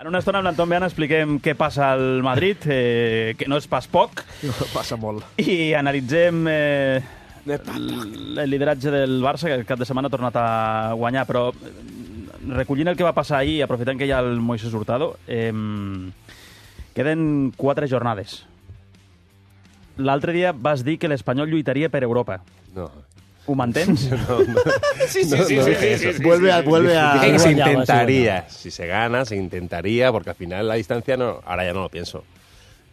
En una estona amb l'Anton Beana expliquem què passa al Madrid, que no és pas poc. No, passa molt. I analitzem el lideratge del Barça, que el cap de setmana ha tornat a guanyar, però recollint el que va passar ahir, aprofitant que hi ha el Moisés Hurtado, queden 4 jornades. L'altre dia vas dir que l'Espanyol lluitaria per Europa. No. ¿Ho mantens? No. Sí. Vuelve a... Dije que se Guanyaba, intentaría. Si se gana, se intentaría, porque al final la distancia no... Ahora ya no lo pienso.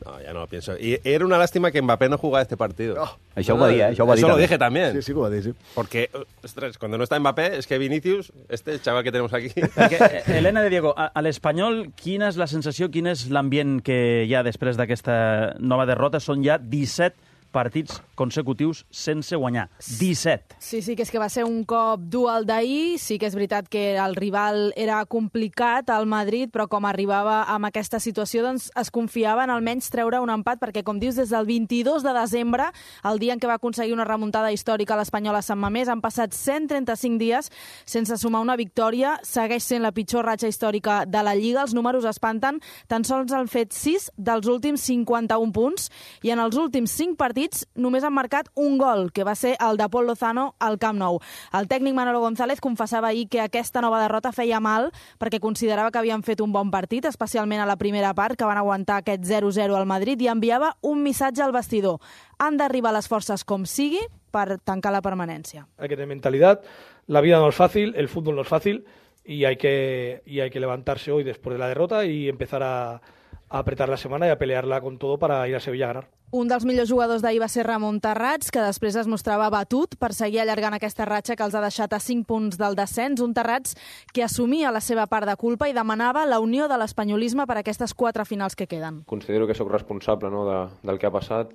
No, ya no lo pienso. Y era una lástima que Mbappé no jugara este partido. No. Això ho va dir, Eso lo dije también. Sí, que ho va dir, sí. Porque, ostras, cuando no está Mbappé, es que Vinicius, este chaval que tenemos aquí... Perquè, Helena de Diego, a l'Espanyol, quina és la sensació, quin és l'ambient que hi ha després d'aquesta nova derrota? Són ja 17 partits consecutius sense guanyar. 17. Sí, que és que va ser un cop dur el d'ahir. Sí que és veritat que el rival era complicat, el Madrid, però com arribava amb aquesta situació, doncs es confiava en almenys treure un empat, perquè, com dius, des del 22 de desembre, el dia en què va aconseguir una remuntada històrica a l'Espanyol a Sant Mamés, han passat 135 dies sense sumar una victòria. Segueix sent la pitjor ratxa històrica de la Lliga. Els números espanten. Tan sols han fet 6 dels últims 51 punts i en els últims 5 partits només han marcat un gol, que va ser el de Pol Lozano al Camp Nou. El tècnic Manolo González confessava ahir que aquesta nova derrota feia mal perquè considerava que havien fet un bon partit, especialment a la primera part, que van aguantar aquest 0-0 al Madrid, i enviava un missatge al vestidor. Han d'arribar les forces com sigui per tancar la permanència. Hay que tener mentalidad, la vida no es fácil, el fútbol no es fácil y hay que levantarse hoy después de la derrota y empezar a apretar la semana y a pelearla con todo para ir a Sevilla a ganar. Un dels millors jugadors d'ahir va ser Ramon Terrats, que després es mostrava batut per seguir allargant aquesta ratxa que els ha deixat a 5 punts del descens. Un Terrats que assumia la seva part de culpa i demanava la unió de l'espanyolisme per a aquestes 4 finals que queden. Considero que sóc responsable, no, del que ha passat.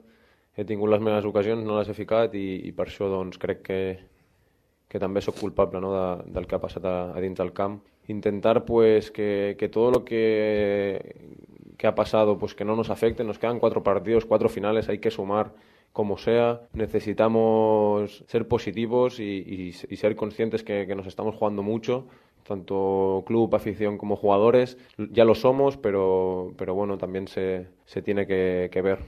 He tingut les meves ocasions, no les he ficat i per això doncs, crec que també sóc culpable, no, del que ha passat a dins del camp. Intentar pues, que todo lo que ha pasado pues que no nos afecte. Nos quedan 4 partidos, 4 finales, hay que sumar como sea. Necesitamos ser positivos y ser conscientes que nos estamos jugando mucho, tanto club, afición como jugadores. Ya lo somos, pero bueno, también se tiene que ver.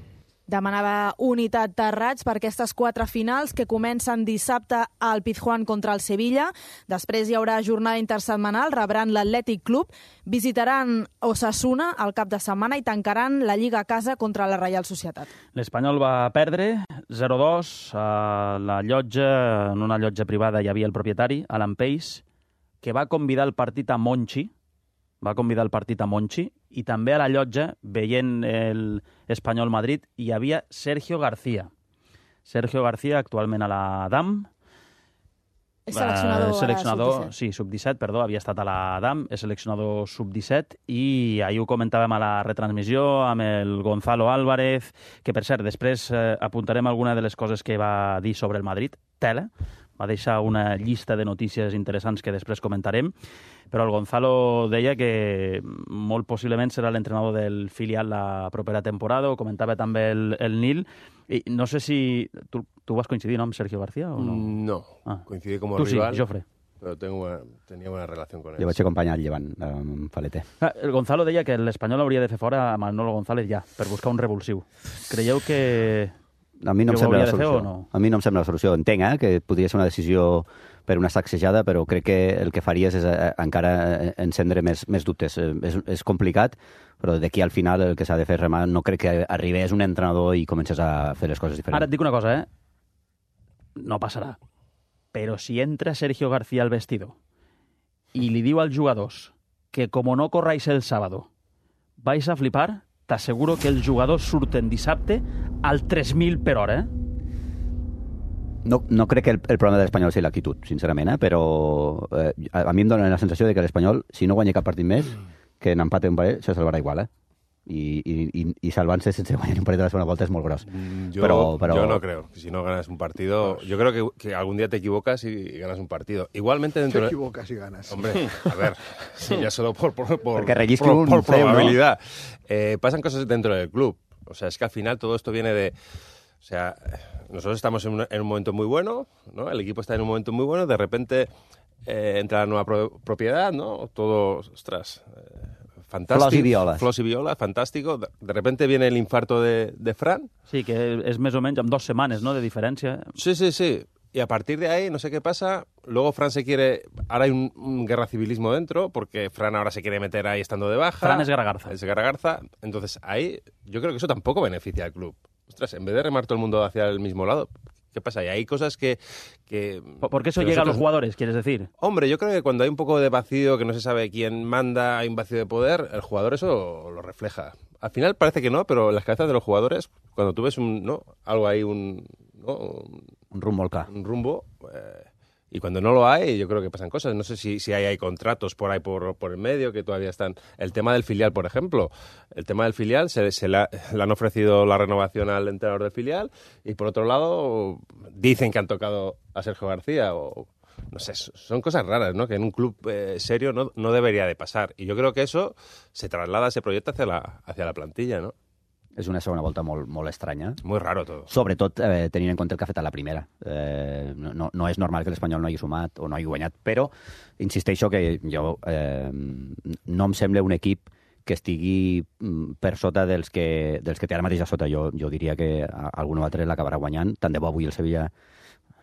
Demanava unitat Terrats per aquestes 4 finals que comencen dissabte al Pizjuán contra el Sevilla. Després hi haurà jornada intersetmanal, rebran l'Atlètic Club, visitaran Osasuna al cap de setmana i tancaran la Lliga a casa contra la Reial Societat. L'Espanyol va perdre 0-2 a la llotja, en una llotja privada hi havia el propietari, Alan Pace, que va convidar el partit a Monchi, i també a la llotja, veient l'Espanyol Madrid, hi havia Sergio García. Sergio García, actualment a la DAM. És seleccionador sí, sub-17, perdó, havia estat a la DAM, és seleccionador sub-17, i ahir ho comentàvem a la retransmissió amb el Gonzalo Álvarez, que, per cert, després apuntarem alguna de les coses que va dir sobre el Madrid. Tela, va deixar una llista de notícies interessants que després comentarem, però el Gonzalo deia que molt possiblement serà l'entrenador del filial la propera temporada, ho comentava també el Nil, i no sé si... Tu vas coincidir, no, amb Sergio García o no? No, coincidí como tu rival. Sí, Jofre. Pero tenía buena relación con él. Jo vaig acompanyar el Llevant amb Faleter. El Gonzalo deia que l'Espanyol hauria de fer fora a Manolo González ja, per buscar un revulsiu. Creieu que... A mi no em sembla la solució. No? A mi no em sembla la solució. Entenc que podria ser una decisió per una sacsejada, però crec que el que faries és encara encendre més dubtes. És complicat, però d'aquí al final el que s'ha de fer remar, no crec que arribés un entrenador i comences a fer les coses diferents. Ara et dic una cosa, no passarà. Però si entra Sergio García al vestidor i li diu als jugadors que com no corráis el sábado vais a flipar, t'asseguro que els jugadors surten dissabte al 3.000 per hora, No crec que el problema de l'Espanyol sigui l'actitud, sincerament, però a mi em dóna la sensació de que l'Espanyol, si no guanya cap partit més, que n'empate un parell, se salvarà igual, I salvant-se sense guanyar un partit de la segona volta es molt gros. Yo no creo. Si no ganas un partido... Yo creo que algún día te equivocas y ganas un partido. Igualmente dentro... Te equivocas y ganas. Hombre, a ver, ya solo por probabilidad. Pasan cosas dentro del club. O sea, es que al final todo esto viene de... O sea, nosotros estamos en un momento muy bueno, ¿no? El equipo está en un momento muy bueno, de repente entra la nueva propiedad, ¿no? Todo, ostras... fantástico. Flors y violas. Fantástico. De repente viene el infarto de Fran. Sí, que és més o menys amb 2 setmanes, no?, de diferència. Sí. Y a partir de ahí, no sé qué pasa, luego Fran se quiere... Ahora hay un guerra civilismo dentro, porque Fran ahora se quiere meter ahí estando de baja. Fran es Garagarza. Es Garagarza. Entonces ahí yo creo que eso tampoco beneficia al club. Ostras, en vez de remar todo el mundo hacia el mismo lado, ¿qué pasa? Y hay cosas que ¿Por qué eso llega a los jugadores, quieres decir? Hombre, yo creo que cuando hay un poco de vacío, que no se sabe quién manda, hay un vacío de poder, el jugador eso lo refleja. Al final parece que no, pero en las cabezas de los jugadores, cuando tú ves algo ahí, un rumbo, y cuando no lo hay, yo creo que pasan cosas. No sé si hay contratos por ahí por el medio que todavía están. El tema del filial, por ejemplo. El tema del filial, le han ofrecido la renovación al entrenador del filial, y por otro lado dicen que han tocado a Sergio García, o no sé, son cosas raras, ¿no? Que en un club serio no debería de pasar. Y yo creo que eso se traslada, ese proyecto hacia la plantilla, ¿no? És una segona volta molt estranya. Muy raro todo. Sobretot tenint en compte el que ha fet a la primera. No és normal que l'Espanyol no hagi sumat o no hagi guanyat, però insisteixo que jo no em sembla un equip que estigui per sota dels que té ara mateix a sota. Jo diria que algun altre l'acabarà guanyant. Tant de bo avui el Sevilla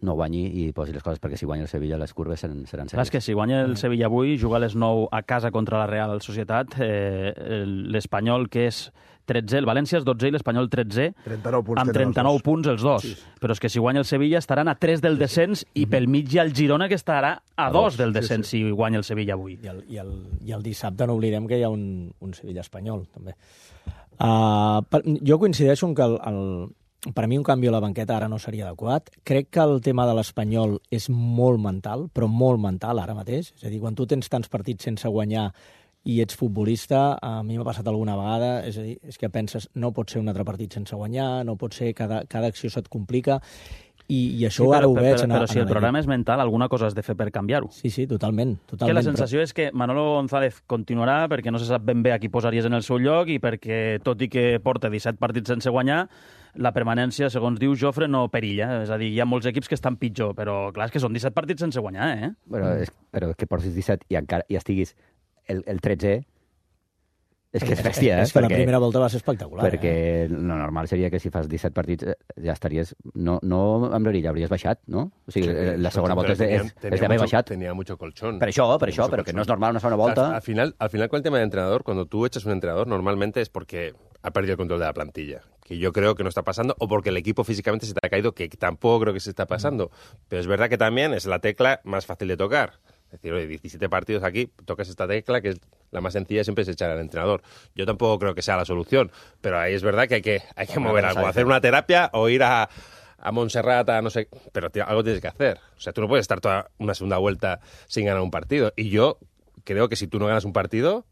no guanyi i posi les coses, perquè si guanya el Sevilla les curves seran serioses. Clar, és que si guanya el Sevilla avui, juga a les 9 a casa contra la Real Societat, l'Espanyol, que és 13, el València és 12 i l'Espanyol 13, 39 punts, amb 39 punts els dos. Sí. Però és que si guanya el Sevilla estaran a 3 del descens i pel mig hi ha el Girona, que estarà a 2 del descens si guanya el Sevilla avui. I el dissabte no oblidem que hi ha un Sevilla-Espanyol, també. Jo coincideixo en que per a mi un canvi a la banqueta ara no seria adequat. Crec que el tema de l'Espanyol és molt mental, però molt mental ara mateix. És a dir, quan tu tens tants partits sense guanyar i ets futbolista, a mi m'ha passat alguna vegada, és a dir, és que penses no pot ser un altre partit sense guanyar, no pot ser, cada acció se't complica, i això ara ho veig. Però si el programa és mental, alguna cosa has de fer per canviar-ho. Sí, totalment. Que la sensació és que Manolo González continuarà perquè no se sap ben bé a qui posaries en el seu lloc i perquè, tot i que porta 17 partits sense guanyar, la permanència, segons diu Jofre, no perilla. És a dir, hi ha molts equips que estan pitjor, però clar, és que són 17 partits sense guanyar, eh? Però que portis 17 i estiguis el 13è, és que és bèstia, És que la primera volta va ser espectacular. Perquè lo normal seria que si fas 17 partits ja estaries, no amb l'orilla, hauries baixat, no? O sigui, la segona volta és d'haver baixat. Tenía mucho colchón. Per això, però que no és normal una segona volta. Al final, con el tema de entrenador, cuando tú echas un entrenador, normalmente es porque ha perdido el control de la plantilla, que yo creo que no está pasando, o porque el equipo físicamente se te ha caído, que tampoco creo que se está pasando. Pero es verdad que también es la tecla más fácil de tocar. Es decir, oye, 17 partidos aquí, tocas esta tecla, que es la más sencilla, siempre es echar al entrenador. Yo tampoco creo que sea la solución, pero ahí es verdad que hay que mover algo, hacer una terapia o ir a Montserrat, no sé, pero algo tienes que hacer. O sea, tú no puedes estar toda una segunda vuelta sin ganar un partido. Y yo creo que si tú no ganas un partido,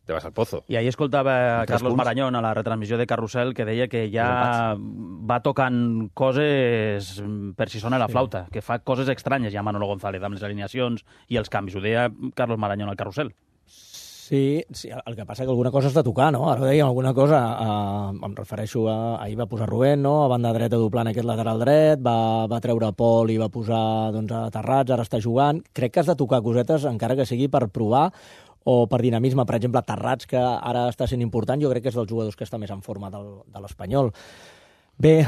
te vas al pozo. I ahir escoltava Carlos Marañón a la retransmissió de Carrusel, que deia que ja va tocant coses per si sona la flauta, que fa coses estranyes ja Manolo González amb les alineacions i els canvis. Ho deia Carlos Marañón al Carrusel. Sí, el que passa que alguna cosa has de tocar, no? Ara dèiem alguna cosa, em refereixo a... Ahir va posar Rubén, no? A banda dreta doblant aquest lateral dret, va treure Pol i va posar a Terrats, ara està jugant. Crec que has de tocar cosetes, encara que sigui per provar o per dinamisme. Per exemple, Terrats, que ara està sent important, jo crec que és dels jugadors que està més en forma de l'Espanyol. Bé,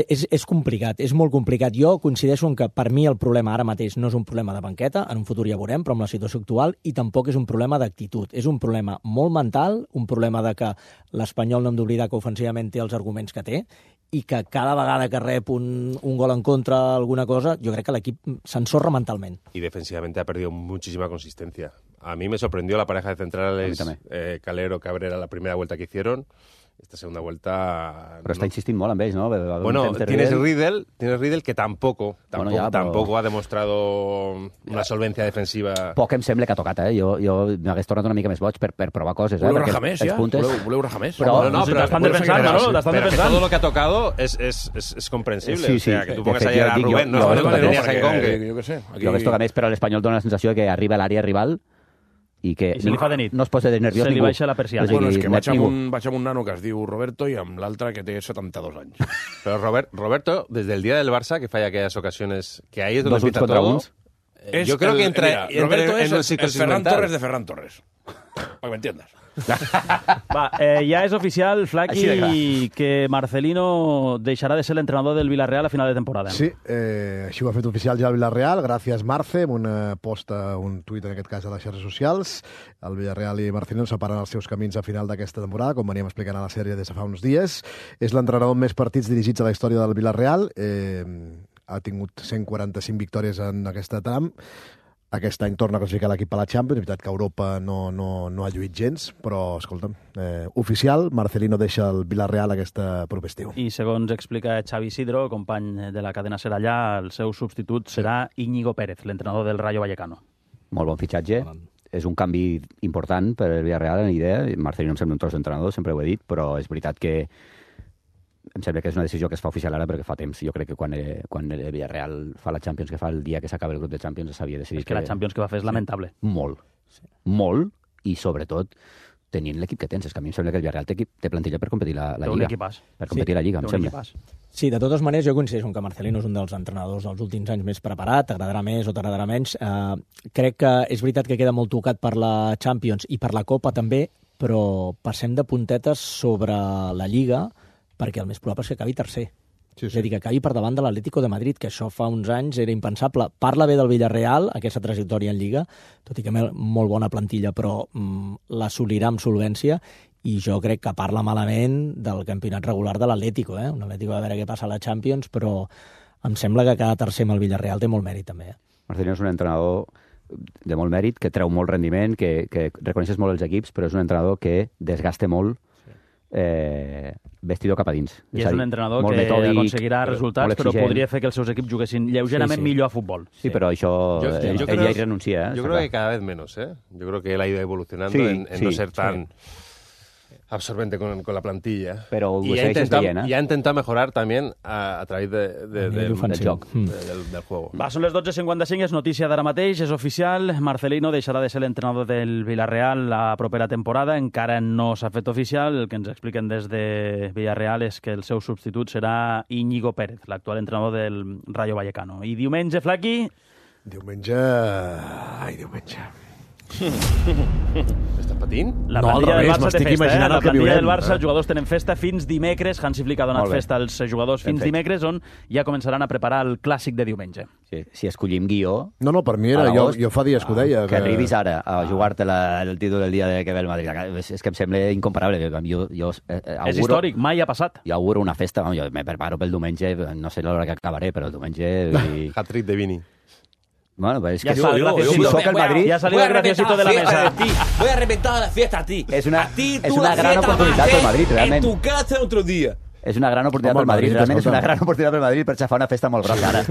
és complicat, és molt complicat. Jo coincideixo en que per mi el problema ara mateix no és un problema de banqueta, en un futur ja veurem, però amb la situació actual, i tampoc és un problema d'actitud. És un problema molt mental, un problema de que l'Espanyol no hem d'oblidar que ofensivament té els arguments que té, i que cada vegada que rep un gol en contra, alguna cosa, jo crec que l'equip s'ensorra mentalment. Y defensivamente ha perdido muchísima consistencia. A mí me sorprendió la pareja de centrales Calero-Cabrera la primera vuelta que hicieron. Esta segunda vuelta... Però està insistint molt amb ells, no? Bueno, tienes Riedel que tampoco ha demostrado una solvencia defensiva. Poc em sembla que ha tocat, eh? Jo m'hagués tornat una mica més boig per provar coses, eh? Voleu rajar més, ja? Voleu rajar més? Però t'estan defensant, Manolo, t'estan defensant. Todo lo que ha tocado es comprensible. Sí, o sea, que tú pongas ayer a Rubén, no tenías en Conque. Jo què sé. Jo hagués tocat més, però l'Espanyol dona la sensació que arriba a l'àrea rival i que se li fa de nit. No es posa de nerviós ningú. Se li baixa la persiana. Bueno, és que vaig amb un nano que es diu Roberto i amb l'altre que té 72 anys. Pero Roberto, desde el día del Barça, que falla aquellas ocasiones, que ahí es donde empieza todo... Yo creo que entra Roberto en es el Ferran Torres de Ferran Torres, para que me entiendas. Va, ja és oficial, Flaqui, que Marcelino deixarà de ser l'entrenador del Villarreal a final de temporada. Sí, així ho ha fet oficial ja el Villarreal, gràcies Marce, amb una posta, un tuit en aquest cas a les xarxes socials. El Villarreal i Marcelino separen els seus camins a final d'aquesta temporada, com veníem explicant a la sèrie des de fa uns dies. És l'entrenador amb més partits dirigits a la història del Villarreal, ha tingut 145 victòries en aquesta tram. Aquest any torna a classificar l'equip a la Champions. És veritat que Europa no ha lluit gens, però, escolta'm, oficial, Marcelino deixa el Villarreal aquest proper estiu. I segons explica Xavi Isidro, company de la cadena Ser allà, el seu substitut serà Íñigo Pérez, l'entrenador del Rayo Vallecano. Molt bon fitxatge. És un canvi important per el Villarreal en idea. Marcelino em sembla un tros d'entrenador, sempre ho he dit, però és veritat que em sembla que és una decisió que es fa oficial ara perquè fa temps. Jo crec que quan el Villarreal fa la Champions que fa el dia que s'acaba el grup de Champions s'havia decidit. És que la Champions que va fer és lamentable. Molt. Molt, i sobretot tenint l'equip que tens. És que a mi em sembla que el Villarreal té plantilla per competir la Lliga. un equipàs. Per competir la Lliga, em sembla. Sí, de totes maneres, jo coincideixo que Marcelino és un dels entrenadors dels últims anys més preparat, t'agradarà més o t'agradarà menys. Crec que és veritat que queda molt tocat per la Champions i per la Copa també, però passem de puntetes sobre la Lliga perquè el més probable és que acabi tercer. Sí. És a dir, que acabi per davant de l'Atlético de Madrid, que això fa uns anys era impensable. Parla bé del Villarreal, aquesta trajectòria en Lliga, tot i que molt bona plantilla, però l'assolirà amb solvència, i jo crec que parla malament del campionat regular de l'Atlético. Un Atlético a veure què passa a la Champions, però em sembla que cada tercer amb el Villarreal té molt mèrit també. Marcelino és un entrenador de molt mèrit, que treu molt rendiment, que reconeixes molt els equips, però és un entrenador que desgasta molt vestidor cap a dins. I és un entrenador que aconseguirà resultats, però podria fer que els seus equips juguessin lleugerament millor a futbol. Sí, però això ell ja hi renuncia. Yo creo que cada vez menos, Yo creo que él ha ido evolucionando en no ser tan absorbente con la plantilla. Pero y ha intentado mejorar también a través del juego. Va, són les 12:55, és notícia d'ara mateix, és oficial. Marcelino deixarà de ser l'entrenador del Villarreal la propera temporada. Encara no s'ha fet oficial. El que ens expliquen des de Villarreal és que el seu substitut serà Íñigo Pérez, l'actual entrenador del Rayo Vallecano. I diumenge, Flaqui? Diumenge... Estàs patint? La plantilla del Barça té festa, La plantilla del Barça, els jugadors tenen festa fins dimecres. Hansi Flick ha donat festa als jugadors fins dimecres, on ja començaran a preparar el clàssic de diumenge. Si escollim guió... No, per mi era... Jo fa dies que ho deia. Que arribis ara a jugar-te el títol del dia que ve el Madrid. És que em sembla incomparable. És històric, mai ha passat. Jo auguro una festa. Jo me preparo pel diumenge, no sé l'hora que acabaré, però el diumenge... Hat-trick de Vini. Bueno, es que ya soy el Madrid. Ya ha salido el graciosito de la mesa. Voy a reventar la fiesta a ti. Es una gran oportunidad para el Madrid, realmente. En tu casa otro día. És una gran oportunitat pel Madrid, realment és una gran oportunitat pel Madrid per xafar una festa molt grossa ara.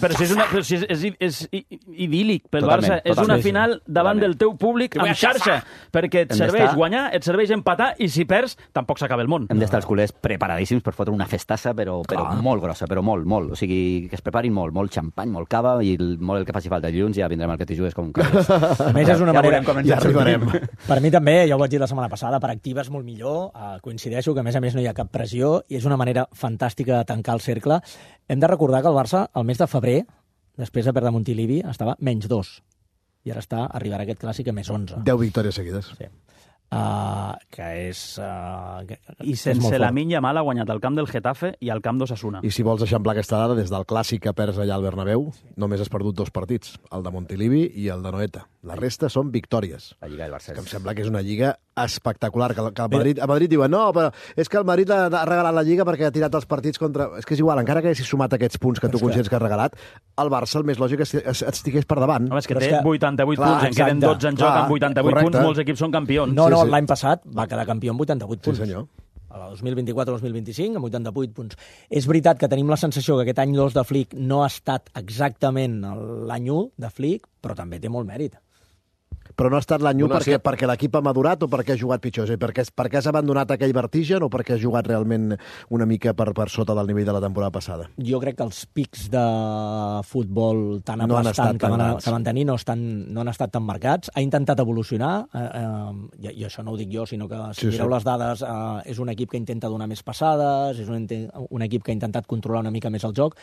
Però si és idíl·lic pel Barça, és una final davant del teu públic amb xarxa, perquè et serveix guanyar, et serveix empatar, i si perds, tampoc s'acaba el món. Hem d'estar els culers preparadíssims per fotre una festassa, però molt grossa, però molt. O sigui, que es preparin molt xampany, molt cava, i molt el que faci falta. Dilluns ja vindrem al que t'hi jugues com un cabres. A més, és una manera... Ja arribarem. Per mi també, ja ho vaig dir la setmana passada, per activa és molt millor. Coincideixo que, a més no hi ha cap pressió, i és una manera fantàstica de tancar el cercle. Hem de recordar que el Barça, el mes de febrer, després de perdre Montilivi, estava -2. I ara arribarà aquest clàssic a +11. 10 victòries seguides. Sí. Que és... I sense Lamine Yamal ha guanyat al camp del Getafe i al camp d'Osasuna. I si vols eixamplar aquesta dada, des del clàssic que perds allà al Bernabéu, només has perdut 2 partits, el de Montilivi i el de Noeta. La resta són victòries. La Lliga del Barça. Que em sembla que és una lliga espectacular. Que a Madrid diuen, no, però és que el Madrid ha regalat la Lliga perquè ha tirat els partits contra... És que és igual, encara que haguessis sumat aquests punts que tu considers que has regalat, el Barça el més lògic estigués per davant. Home, és que té 88 punts, en queden 12 en joc amb 88 punts, molts equips són campions. No, l'any passat va quedar campió amb 88 punts. Sí, senyor. A la 2024-2025, amb 88 punts. És veritat que tenim la sensació que aquest any 2 de Flick no ha estat exactament l'any 1 de Flick, però també té molt mèrit. Però no ha estat l'any 1 perquè l'equip ha madurat o perquè ha jugat pitjor? Perquè has abandonat aquell vertigen o perquè has jugat realment una mica per sota del nivell de la temporada passada? Jo crec que els pics de futbol tan aplastant que van tenir no han estat tan marcats. Ha intentat evolucionar, i això no ho dic jo, sinó que si mireu les dades, és un equip que intenta donar més passades, és un equip que ha intentat controlar una mica més el joc,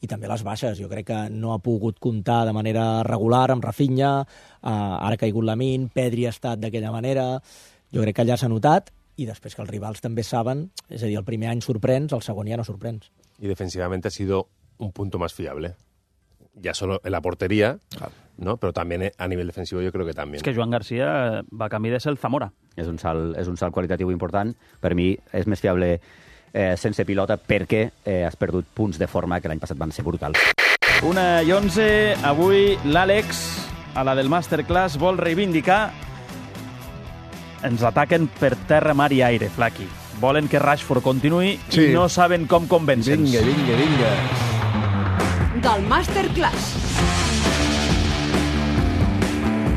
i també les baixes. Jo crec que no ha pogut comptar de manera regular amb Rafinha, ara ha caigut Lamine, Pedri ha estat d'aquella manera. Jo crec que allà s'ha notat, i després que els rivals també saben, és a dir, el primer any sorprens, el segon ja no sorprens. Y defensivamente ha sido un punto más fiable. Ya solo en la portería, ¿no? Pero también a nivel defensivo yo creo que también. És que Joan Garcia va camí de ser el Zamora. És un salt qualitatiu important. Per mi és més fiable sense pilota perquè has perdut punts de forma que l'any passat van ser brutals. 1:11, avui l'Àlex, a la del Masterclass, vol reivindicar. Ens ataquen per terra, mar i aire, Flaqui. Volen que Rashford continuï i no saben com convèncer-nos. Vinga. Del Masterclass.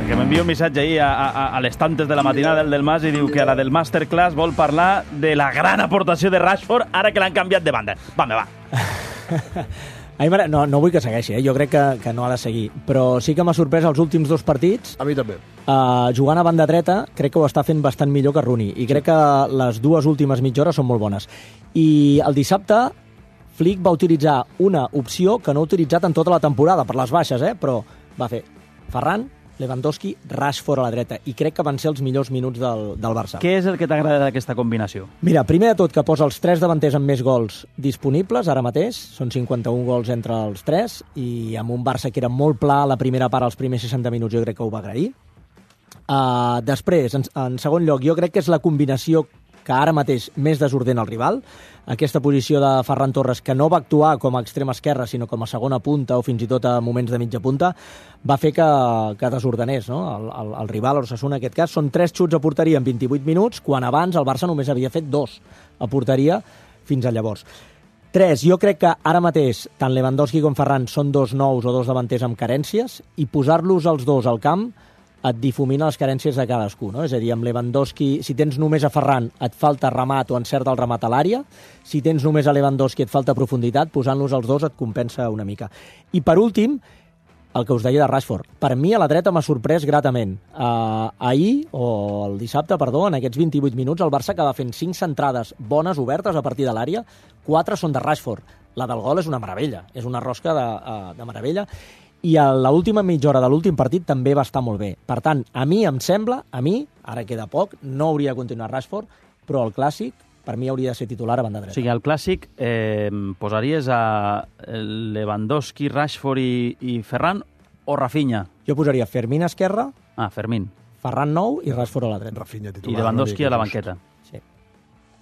Que m'envia un missatge ahir a les tantes de la matinada del Mas i diu que a la del Masterclass vol parlar de la gran aportació de Rashford ara que l'han canviat de banda. Va. No vull que segueixi, jo crec que no ha de seguir, però sí que m'ha sorprès els últims 2 partits. A mi també. Jugant a banda dreta, crec que ho està fent bastant millor que Rooney, i crec que les 2 últimes mitja hores són molt bones. I el dissabte, Flick va utilitzar una opció que no ha utilitzat en tota la temporada, per les baixes, però va fer Ferran, Lewandowski, Rashford a la dreta, i crec que van ser els millors minuts del Barça. Què és el que t'agrada d'aquesta combinació? Mira, primer de tot que posa els 3 davanters amb més gols disponibles ara mateix, són 51 gols entre els 3, i amb un Barça que era molt pla a la primera part, als primers 60 minuts, jo crec que ho va agrair. Després, en segon lloc, jo crec que és la combinació que ara mateix més desordena el rival. Aquesta posició de Ferran Torres, que no va actuar com a extrema esquerra, sinó com a segona punta o fins i tot a moments de mitja punta, va fer que desordenés, no? El rival, l'Osasuna, en aquest cas. Són 3 xuts a porteria en 28 minuts, quan abans el Barça només havia fet 2 a porteria fins a llavors. 3, jo crec que ara mateix tant Lewandowski com Ferran són 2 nous o 2 davanters amb carències, i posar-los els 2 al camp et difumina les carències de cadascú, no? És a dir, amb Lewandowski, si tens només a Ferran, et falta remat o encert el remat a l'àrea. Si tens només a Lewandowski, et falta profunditat. Posant-los els 2 et compensa una mica. I per últim, el que us deia de Rashford. Per mi, a la dreta m'ha sorprès gratament. Ahir, o el dissabte, perdó, en aquests 28 minuts, el Barça acaba fent 5 centrades bones, obertes, a partir de l'àrea. 4 són de Rashford. La del gol és una meravella. És una rosca de meravella. I a l'última mitja hora de l'últim partit també va estar molt bé. Per tant, a mi em sembla, ara queda poc, no hauria de continuar Rashford, però el clàssic, per mi, hauria de ser titular a banda dreta. O sigui, al clàssic posaries a Lewandowski, Rashford i Ferran o Rafinha? Jo posaria Fermín a esquerra, Fermín. Ferran nou i Rashford a la dreta. Rafinha titular. I Lewandowski a la banqueta. Sí.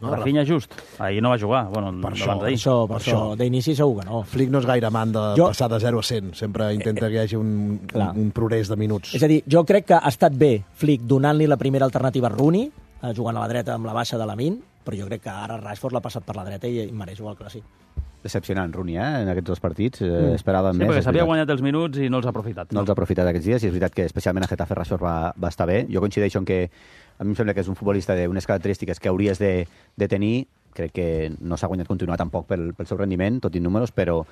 No, Rafinha just. Ahir no va jugar. Bueno, per això, d'inici segur que no. Flick no és gaire amant de passar de 0 a 100. Sempre intenta que hi hagi un progrés de minuts. És a dir, jo crec que ha estat bé Flick donant-li la primera alternativa a Rooney, jugant a la dreta amb la baixa de Lamine, però jo crec que ara Rashford l'ha passat per la dreta i mereix jugar al clàssic. Decepcionant, Rooney, en aquests 2 partits. Esperàvem més. Sí, perquè s'havia guanyat els minuts i no els ha aprofitat. No els ha aprofitat aquests dies, i és veritat que especialment a Getafe Rashford va estar bé. Jo coincideixo en que a mi em sembla que és un futbolista d'unes característiques que hauries de tenir. Crec que no s'ha guanyat continuar tampoc pel seu rendiment, tot i números, però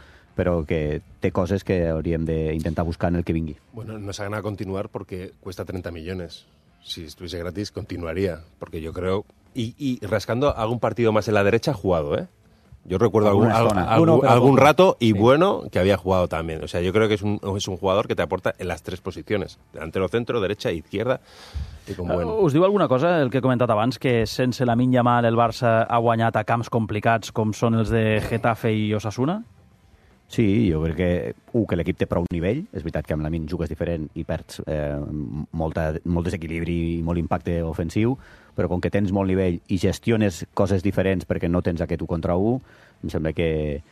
que té coses que hauríem d'intentar buscar en el que vingui. Bueno, no se gana a continuar porque cuesta 30 millones. Si estuviese gratis, continuaría, porque yo creo... Y rascando algún partido más en la derecha ha jugado, ¿eh? Yo recuerdo algún rato y bueno que había jugado también. O sea, yo creo que es un jugador que te aporta en las 3 posiciones. Delantero, centro, derecha, izquierda. I com bueno. Us diu alguna cosa, el que he comentat abans, que sense Lamine Yamal el Barça ha guanyat a camps complicats com són els de Getafe i Osasuna? Sí, jo crec que l'equip té prou nivell. És veritat que amb Lamine jugues diferent i perds molt desequilibri i molt impacte ofensiu, però com que tens molt nivell i gestiones coses diferents perquè no tens aquest 1 contra 1, em sembla que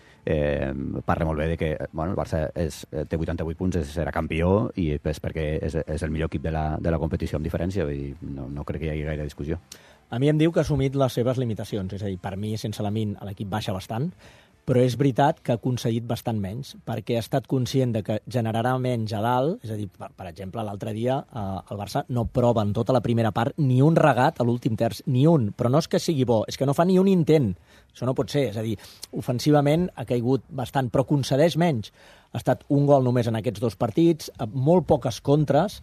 parla molt bé de que el Barça té 88 punts, serà campió, i és perquè és el millor equip de la competició amb diferència, i no crec que hi hagi gaire discussió. A mi em diu que ha assumit les seves limitacions, és a dir, per mi, sense Lamine, l'equip baixa bastant, però és veritat que ha aconseguit bastant menys, perquè ha estat conscient de que generarà menys a dalt. És a dir, per exemple, l'altre dia el Barça no prova en tota la primera part ni un regat a l'últim terç, ni un. Però no és que sigui bo, és que no fa ni un intent. Això no pot ser. És a dir, ofensivament ha caigut bastant, però concedeix menys. Ha estat un gol només en aquests 2 partits, molt poques contres,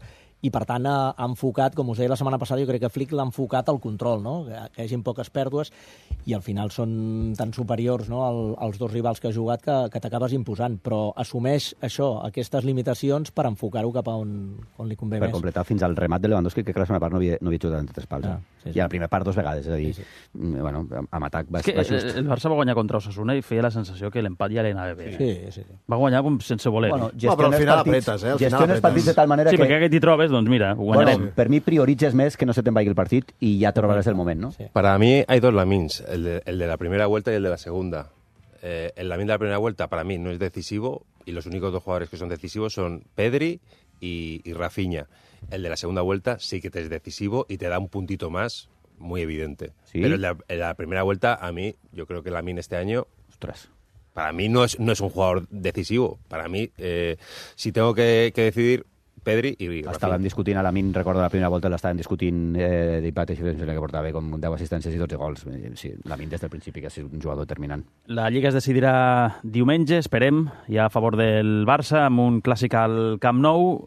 i per tant ha enfocat, com us deia la setmana passada, jo crec que Flick l'ha enfocat al control, no? Que hi hagin poques pèrdues, i al final són tan superiors, no, als dos rivals que ha jugat que t'acabes imposant, però assumeix això, aquestes limitacions per enfocar-ho cap a on li convé per més. Per completar fins al remat de Lewandowski, que la segona part no havia jugat en tres pals. I a la primera part 2 vegades, és a dir, bueno, amb atac va just. El Barça va guanyar contra Osasuna i feia la sensació que l'empat ja li anava bé. Sí. Va guanyar com sense voler. Bueno, però al final apretes, gestiones partits de tal manera que... Sí, perquè aquest hi trobes, doncs mira, ho guanyarem. Per mi prioritzes més que no se te'n vagi el partit i ja trobaràs el moment, ¿no? Sí. Para mí hay dos Lamins, el de la primera vuelta y el de la segunda. El Lamin de la primera vuelta para mí no es decisivo y los únicos dos jugadores que son decisivos son Pedri y Rafinha. El de la segunda vuelta sí que te es decisivo y te da un puntito más muy evidente. ¿Sí? Pero el de la primera vuelta, a mí, yo creo que Lamin este año, ostras, para mí no es un jugador decisivo. Para mí, si tengo que decidir, Pedri i Rafinha. Estaven discutint a Lamin, recordo la primera volta l'estaven discutint d'Ipat i que portava com 10 assistències i 12 gols. Sí, Lamin des del principi que ha sigut un jugador determinant. La Lliga es decidirà diumenge, esperem, ja a favor del Barça, amb un clàssic al Camp Nou.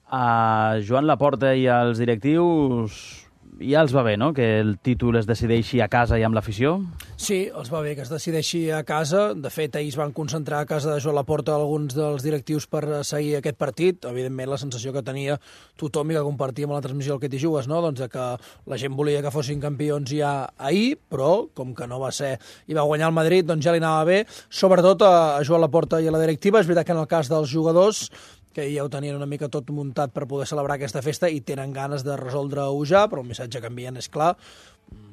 A Joan Laporta i als directius ja els va bé, no?, que el títol es decideixi a casa i amb l'afició? Sí, els va bé que es decideixi a casa. De fet, ahir es van concentrar a casa de Joan Laporta alguns dels directius per seguir aquest partit. Evidentment, la sensació que tenia tothom i que compartíem a la transmissió del Que t'hi jugues, no?, doncs que la gent volia que fossin campions ja ahir, però com que no va ser i va guanyar el Madrid, doncs ja li anava bé, sobretot a Joan Laporta i a la directiva. És veritat que en el cas dels jugadors, que ja ho tenien una mica tot muntat per poder celebrar aquesta festa i tenen ganes de resoldre-ho ja, però el missatge que envien és clar: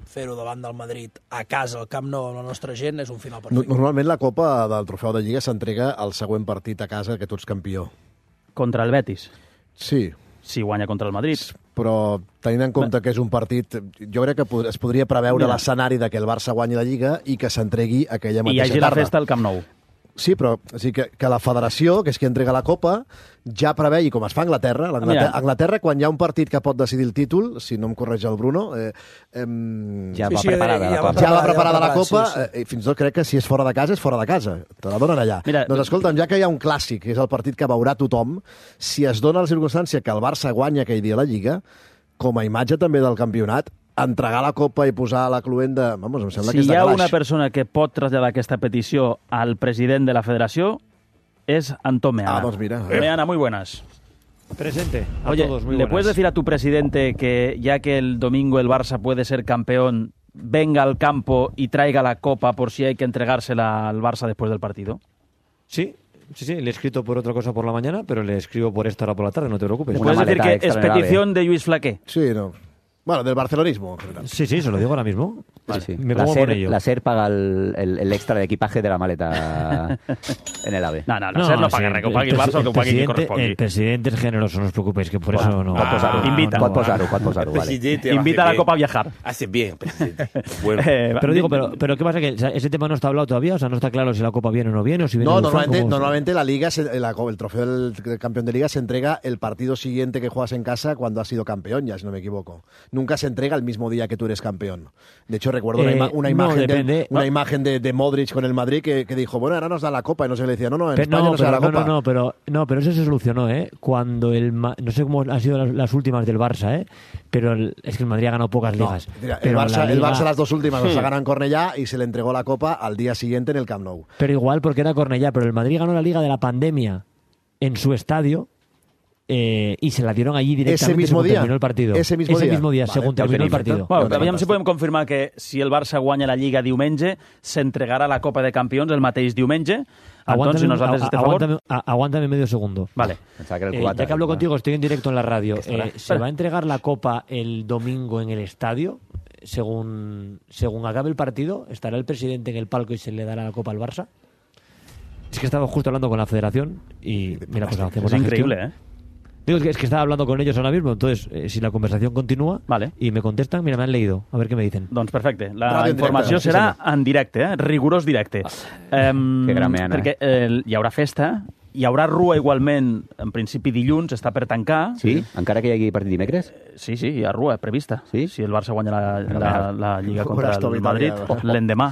fer-ho davant del Madrid a casa, al Camp Nou, amb la nostra gent, és un final perfecte. Normalment la Copa del Trofeu de Lliga s'entrega al següent partit a casa que tu ets campió. Contra el Betis? Sí. Si guanya contra el Madrid. Però tenint en compte que és un partit, jo crec que es podria preveure l'escenari de que el Barça guanyi la Lliga i que s'entregui aquella mateixa tarda. I hi hagi la festa al Camp Nou. Sí, però o sigui, que la federació, que és qui entrega la Copa, ja prevegi, com es fa a Anglaterra. A Anglaterra, quan hi ha un partit que pot decidir el títol, si no em correix el Bruno, ja va preparada la Copa, i fins i tot crec que si és fora de casa, és fora de casa. Te la donen allà. Mira, doncs escolta'm, ja que hi ha un clàssic, que és el partit que veurà tothom, si es dona la circumstància que el Barça guanya aquell dia la Lliga, com a imatge també del campionat, entregar la Copa i posar la cluenda... Vamos, em sembla que és de Si hi ha claix. una persona que pot traslladar aquesta petició al president de la federació, es Antón Meana. Doncs mira. Meana, muy buenas. Presente. Oye, todos, muy ¿le buenas. puedes decir a tu presidente que ya que el domingo el Barça puede ser campeón, venga al campo y traiga la Copa por si hay que entregársela al Barça después del partido? Sí, le he escrito por otra cosa por la mañana, pero le escribo por esta hora por la tarde, no te preocupes. ¿Le puedes decir que es petición de Lluís Flaqué? Sí, no. Bueno, del barcelonismo. Sí, se lo digo ahora mismo. Vale. Sí. Me pongo con ello. La SER paga el extra de equipaje de la maleta en el AVE. No, la SER no paga res, que ho pagui el Barça o que ho pagui qui correspongui. El presidente es generoso, no os preocupéis, que por eso no... Invita. Pot posar-ho, vale. Invita a la Copa a viajar. Hace bien, presidente. Bueno. Pero ¿qué pasa? Que ese tema no está hablado todavía, o sea, no está claro si la Copa viene o no viene, o si viene... No, normalmente la Liga, el trofeo del campeón de Liga se entrega el partido siguiente que juegas en casa cuando has sido campeón, ya si no me equivoco. Nunca se entrega el mismo día que tú eres campeón. De hecho, recuerdo una imagen de Modric con el Madrid que dijo, bueno, ahora nos da la Copa, y no se le decía, en España no se da la Copa. Pero eso se solucionó, cuando no sé cómo han sido las últimas del Barça, pero es que el Madrid ha ganado pocas ligas. El Barça las dos últimas las ha ganado en Cornellá y se le entregó la Copa al día siguiente en el Camp Nou. Pero igual porque era Cornellá, pero el Madrid ganó la Liga de la pandemia en su estadio. Y se la dieron allí directamente según terminó el partido. Ese mismo día, según terminó el partido. Bueno, aviam si podem confirmar que si el Barça guanya la Lliga diumenge, s'entregarà la Copa de Campions el mateix diumenge. Entonces, si nosaltres este favor... Aguántame medio segundo. Vale. Ya que hablo contigo, estoy en directo en la radio. ¿Se va a entregar la Copa el domingo en el estadio? Según acabe el partido, ¿estará el presidente en el palco y se le dará la Copa al Barça? Es que estaba justo hablando con la federación y mira, pues hacemos la gestión. Increíble, Digo, es que estaba hablando con ellos ahora mismo, entonces, si la conversación continúa y me contestan, mira, me han leído, a ver què me dicen. Doncs perfecte, la informació serà en directe, rigorós directe. Que gran Meana. Perquè hi haurà festa, hi haurà rua igualment, en principi dilluns, està per tancar. Sí? Encara que hi hagi partit dimecres? Sí, hi ha rua prevista. Sí? Si el Barça guanya la Lliga contra el Madrid, l'endemà.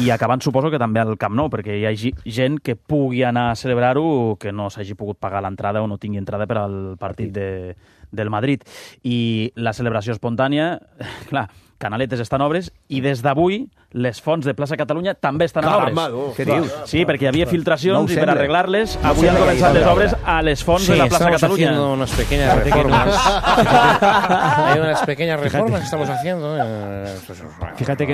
I acabant, suposo que també al Camp Nou, perquè hi ha gent que pugui anar a celebrar-ho que no s'hagi pogut pagar l'entrada o no tingui entrada per al partit del Madrid. I la celebració espontània, clar, Canaletes està en obres i des d'avui les fonts de Plaça Catalunya també estan en obres. Què dius? Sí, perquè hi havia filtracions i per sembla. arreglar-les avui han començat les obres a les fonts de la Plaça Catalunya. Haciendo unas pequeñas reformas. Hay unas pequeñas reformas que estamos haciendo. Fíjate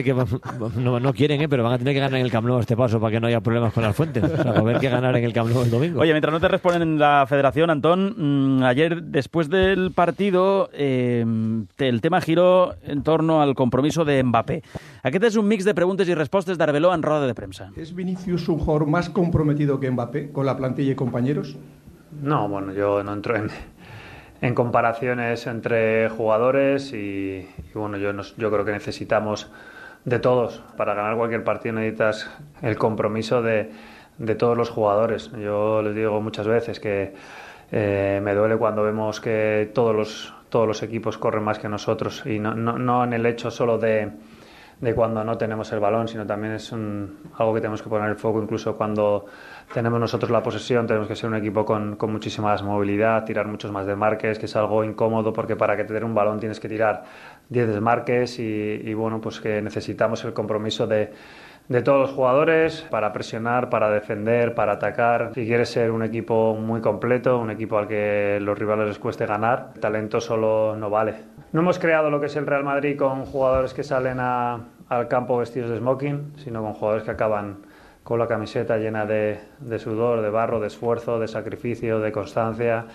que no quieren, pero van a tener que ganar en el Camp Nou este paso para que no haya problemas con las fuentes. O sea, va a haber que ganar en el Camp Nou el domingo. Oye, mientras no te responden en la federación, Antón, ayer después del partido el tema giró en torno al compromiso de Mbappé. Aquest és un mix de preguntes y respuestas de Arbeloa en rueda de prensa. ¿Es Vinicius un jugador más comprometido que Mbappé con la plantilla y compañeros? No, bueno, yo no entro en comparaciones entre jugadores y bueno, yo creo que necesitamos de todos. Para ganar cualquier partido necesitas el compromiso de todos los jugadores. Yo les digo muchas veces que me duele cuando vemos que todos los equipos corren más que nosotros y no en el hecho solo de cuando no tenemos el balón, sino también es algo que tenemos que poner el foco. Incluso cuando tenemos nosotros la posesión tenemos que ser un equipo con muchísima más movilidad, tirar muchos más desmarques, que es algo incómodo porque para que te den un balón tienes que tirar 10 desmarques y bueno, pues que necesitamos el compromiso de todos los jugadores para presionar, para defender, para atacar. Si quieres ser un equipo muy completo, un equipo al que los rivales les cueste ganar, el talento solo no vale. No hemos creado lo que es el Real Madrid con jugadores que salen al campo vestidos de smoking, sino con jugadores que acaban con la camiseta llena de sudor, de barro, de esfuerzo, de sacrificio, de constancia,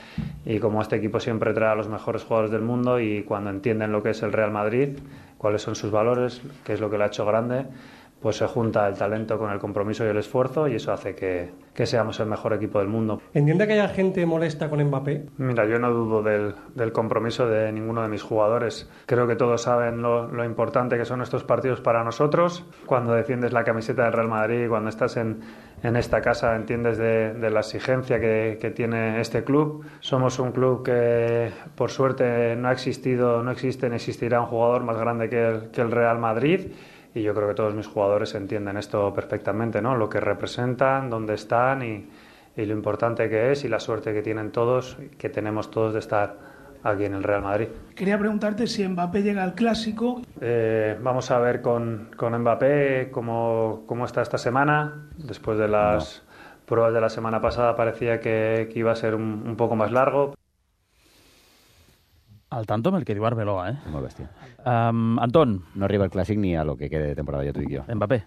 y como este equipo siempre trae a los mejores jugadores del mundo y cuando entienden lo que es el Real Madrid, cuáles son sus valores, qué es lo que lo ha hecho grande, pues se junta el talento con el compromiso y el esfuerzo y eso hace que seamos el mejor equipo del mundo. ¿Entiende que haya gente molesta con Mbappé? Mira, yo no dudo del compromiso de ninguno de mis jugadores. Creo que todos saben lo importante que son estos partidos para nosotros. Cuando defiendes la camiseta del Real Madrid, cuando estás en esta casa, entiendes de la exigencia que tiene este club. Somos un club que, por suerte, no existe ni existirá un jugador más grande que el Real Madrid. Y yo creo que todos mis jugadores entienden esto perfectamente, ¿no? Lo que representan, dónde están y lo importante que es y la suerte que tienen todos, que tenemos todos de estar aquí en el Real Madrid. Quería preguntarte si Mbappé llega al Clásico. Vamos a ver con Mbappé cómo está esta semana. Después de las pruebas de la semana pasada parecía que iba a ser un poco más largo. Al tanto amb el que diu Arbeloa, Molt bèstia. Antón. No arriba el Clàssic ni a lo que quede de temporada, ya tú y yo. Mbappé.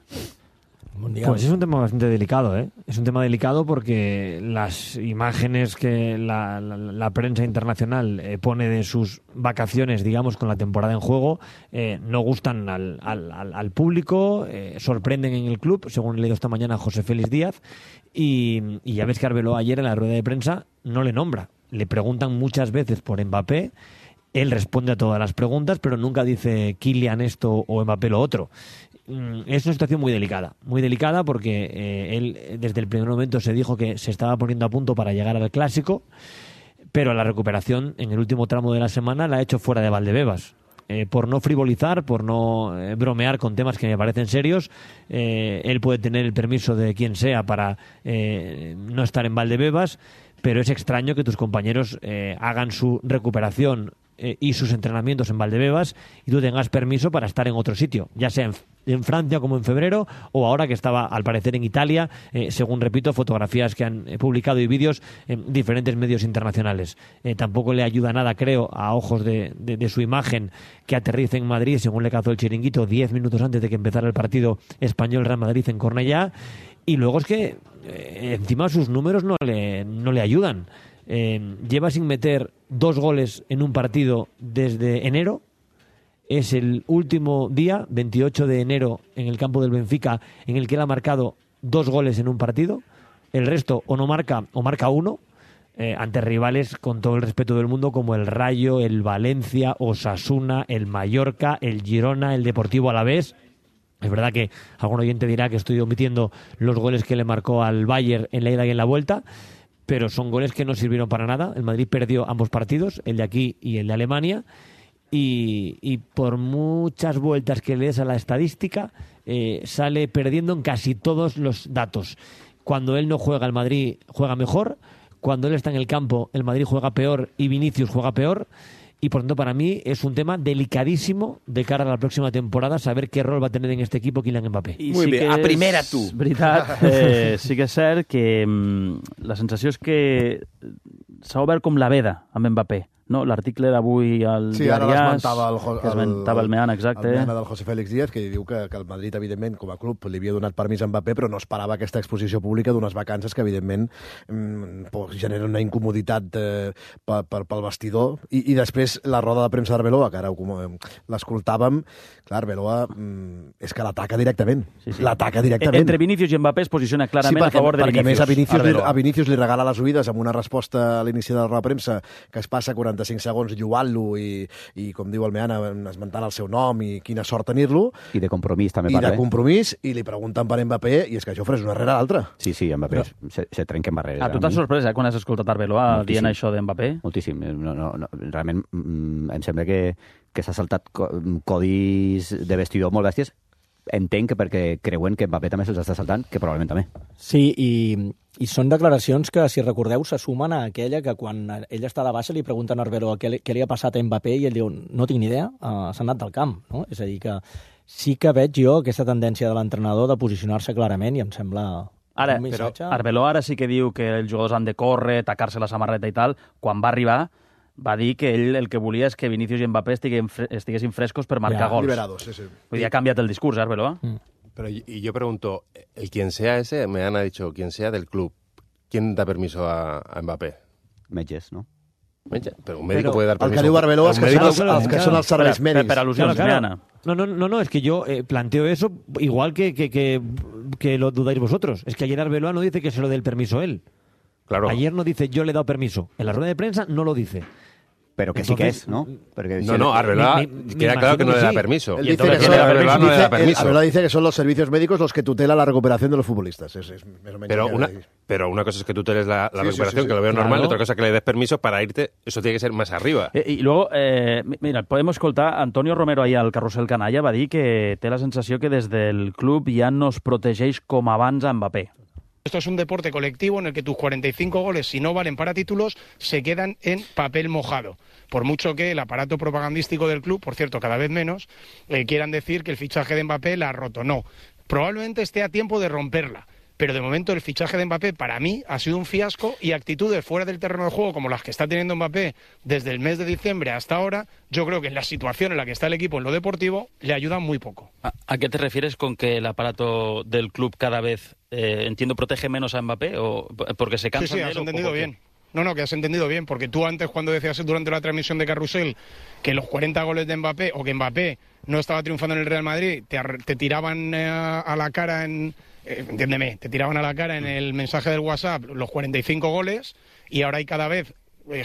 Pues es un tema bastante delicado, ¿eh? Es un tema delicado porque las imágenes que la prensa internacional pone de sus vacaciones, digamos, con la temporada en juego, no gustan al público, sorprenden en el club, según he leído esta mañana a José Félix Díaz, y ya ves que Arbeloa ayer en la rueda de prensa no le nombra. Le preguntan muchas veces por Mbappé, él responde a todas las preguntas, pero nunca dice Kylian esto o Mbappé lo otro. Es una situación muy delicada porque él desde el primer momento se dijo que se estaba poniendo a punto para llegar al Clásico, pero la recuperación en el último tramo de la semana la ha hecho fuera de Valdebebas. Por no frivolizar, por no bromear con temas que me parecen serios, él puede tener el permiso de quien sea para no estar en Valdebebas, pero es extraño que tus compañeros hagan su recuperación y sus entrenamientos en Valdebebas y tú tengas permiso para estar en otro sitio, ya sea en Francia como en febrero o ahora que estaba al parecer en Italia, según repito, fotografías que han publicado y vídeos en diferentes medios internacionales. Tampoco le ayuda nada, creo, a ojos de su imagen que aterrice en Madrid, según le cazó el chiringuito 10 minutos antes de que empezara el partido Español-Real Madrid en Cornellá, y luego es que encima sus números no le ayudan. Lleva sin meter 2 goles en un partido desde enero. Es el último día, 28 de enero, en el campo del Benfica, en el que él ha marcado 2 goles en un partido. El resto o no marca o marca 1 ante rivales, con todo el respeto del mundo, como el Rayo, el Valencia, Osasuna, el Mallorca, el Girona, el Deportivo Alavés. Es verdad que algún oyente dirá que estoy omitiendo los goles que le marcó al Bayern en la ida y en la vuelta, pero son goles que no sirvieron para nada. El Madrid perdió ambos partidos, el de aquí y el de Alemania, y por muchas vueltas que le des a la estadística, sale perdiendo en casi todos los datos. Cuando él no juega, el Madrid juega mejor. Cuando él está en el campo, el Madrid juega peor y Vinicius juega peor. y por tanto para mí es un tema delicadísimo de cara a la próxima temporada saber qué rol va a tener en este equipo Kylian Mbappé. Muy bé, a primera tu. Veritat, sí que és cert que la sensació és que s'ha obert com la veda amb Mbappé. No? L'article d'avui al diari AS, que esmentava el Meana, exacte. El Meana del José Félix Díaz, que diu que el Madrid, evidentment, com a club, li havia donat permís a Mbappé, però no esperava aquesta exposició pública d'unes vacances que, evidentment, generen una incomoditat pel vestidor. I després la roda de premsa d'Arbeloa, que ara l'escoltàvem, clar, Arbeloa és que l'ataca directament. L'ataca directament. Entre Vinícius i Mbappé es posiciona clarament a favor de Vinícius. Perquè, a més, a Vinícius li regala les oïdes amb una resposta a l'inici de la roda de premsa que es passa 45 segons lloant-lo i, com diu el Meana, esmentant el seu nom i quina sort tenir-lo. I de compromís també parla. I de compromís, i li pregunten per Mbappé, i és que això és una rere l'altra. Sí, Mbappé se trenca en barreres. Tu t'has sorprès quan has escoltat Arbeloa dient això d'Mbappé? Moltíssim. Realment em sembla que s'ha saltat codis de vestidor molt bèsties. Entenc que perquè creuen que Mbappé també se'ls està saltant, que probablement també. Sí, i són declaracions que, si recordeu, se sumen a aquella que quan ell està a la baixa li pregunten a Arbeloa què li ha passat a Mbappé i ell diu, no tinc ni idea, s'ha anat del camp. No? És a dir, que sí que veig jo aquesta tendència de l'entrenador de posicionar-se clarament i em sembla ara, un missatge... Però Arbeloa ara sí que diu que els jugadors han de córrer, tacar-se la samarreta i tal. Quan va arribar va dir que ell el que volia és que Vinícius i Mbappé estiguessin frescos per marcar gols. Liberados, sí. Vull dir, ha canviat el discurs, Arbeloa. Pero y yo pregunto, el quien sea ese, me han dicho, quien sea del club, ¿quién da permiso a Mbappé? Metges, ¿no? Pero un médico puede dar permiso. El que diu Arbeloa és que són els serveis mèdics. Per al·lusions, Meana. No, es que yo planteo eso igual que lo dudáis vosotros. Es que ayer Arbeloa no dice que se lo dé el permiso él. Claro. Ayer no dice yo le he dado permiso. En la rueda de prensa no lo dice. Pero que entonces, sí que es, ¿no? Porque no, Arbeloa queda claro que no le da permiso. Él dice que Arbeloa dice que son los servicios médicos los que tutelan la recuperación de los futbolistas. Pero una cosa es que tuteles la recuperación, que lo veo normal, y otra cosa es que le des permiso para irte. Eso tiene que ser más arriba. Y luego, mira, podem escoltar, Antonio Romero ahir al Carrusel Canalla va dir que té la sensació que des del club ja no es protegeix com abans a Mbappé. Esto es un deporte colectivo en el que tus 45 goles, si no valen para títulos, se quedan en papel mojado. Por mucho que el aparato propagandístico del club, por cierto, cada vez menos, quieran decir que el fichaje de Mbappé la ha roto. No, probablemente esté a tiempo de romperla. Pero de momento el fichaje de Mbappé para mí ha sido un fiasco y actitudes fuera del terreno de juego como las que está teniendo Mbappé desde el mes de diciembre hasta ahora, yo creo que en la situación en la que está el equipo en lo deportivo le ayudan muy poco. ¿A qué te refieres con que el aparato del club cada vez, entiendo, protege menos a Mbappé o porque se cansan de él? Sí, has entendido bien. No, que has entendido bien, porque tú antes cuando decías durante la transmisión de Carrusel que los 40 goles de Mbappé o que Mbappé no estaba triunfando en el Real Madrid, te tiraban a la cara entiéndeme, te tiraban a la cara en el mensaje del WhatsApp los 45 goles y ahora hay cada vez